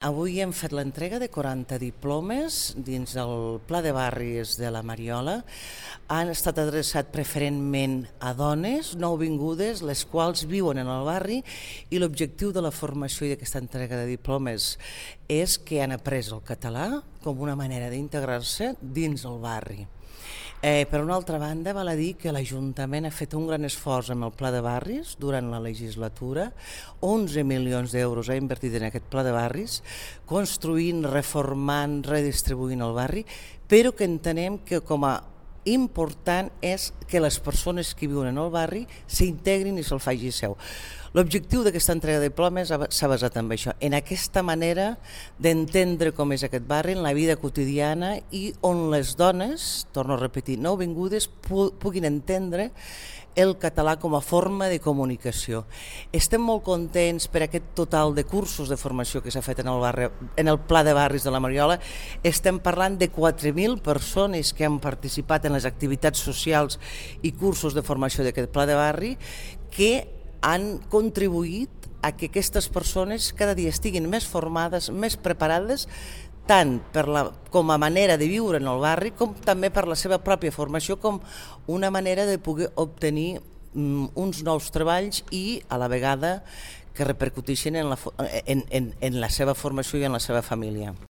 Avui hem fet l'entrega de 40 diplomes dins del Pla de Barris de la Mariola. Han estat adreçats preferentment a dones nouvingudes, les quals viuen en el barri, i l'objectiu de la formació i d'aquesta entrega de diplomes és que han après el català com una manera d'integrar-se dins el barri. Per una altra banda, val a dir que l'Ajuntament ha fet un gran esforç amb el Pla de Barris durant la legislatura. 11 milions d'euros ha invertit en aquest Pla de Barris, construint, reformant, redistribuint el barri, però que entenem que com a important és que les persones que viuen en el barri s'integrin i se'l faci seu. L'objectiu d'aquesta entrega de diplomes s'ha basat en això, en aquesta manera d'entendre com és aquest barri en la vida quotidiana i on les dones, torno a repetir, nouvingudes, puguin entendre el català com a forma de comunicació. Estem molt contents per aquest total de cursos de formació que s'ha fet en el Pla de Barris de la Mariola. Estem parlant de 4.000 persones que han participat en les activitats socials i cursos de formació d'aquest Pla de Barri, que han contribuït a que aquestes persones cada dia estiguin més formades, més preparades, tant com a manera de viure en el barri com també per la seva pròpia formació com una manera de poder obtenir uns nous treballs i a la vegada que repercuteixin en la seva formació i en la seva família.